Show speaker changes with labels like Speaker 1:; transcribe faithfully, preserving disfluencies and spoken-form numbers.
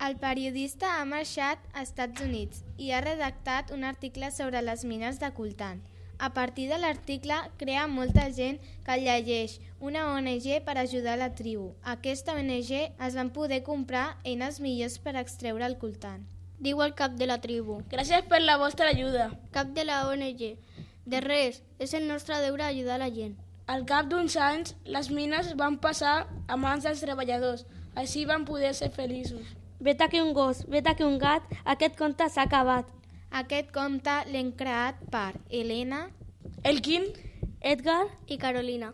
Speaker 1: El periodista ha marxat a Estats Units i ha redactat un article sobre les mines de coltan. A partir de l'article crea molta gent que el llegeix, una O N G per ajudar la tribu. Aquesta O N G es van poder comprar eines millors per extreure el coltan.
Speaker 2: Diu el cap de la tribu.
Speaker 3: Gràcies per la vostra ajuda.
Speaker 2: Cap de la O N G. De res, és el nostre deure ajudar la gent.
Speaker 3: Al cap d'uns anys, les mines van passar a mans dels treballadors. Així van poder ser feliços.
Speaker 4: Vet aquí un gos, vet aquí un gat, aquest conte s'ha acabat.
Speaker 1: Aquest conte l'hem creat per Helena,
Speaker 3: Elkin,
Speaker 4: Edgar
Speaker 2: i Carolina.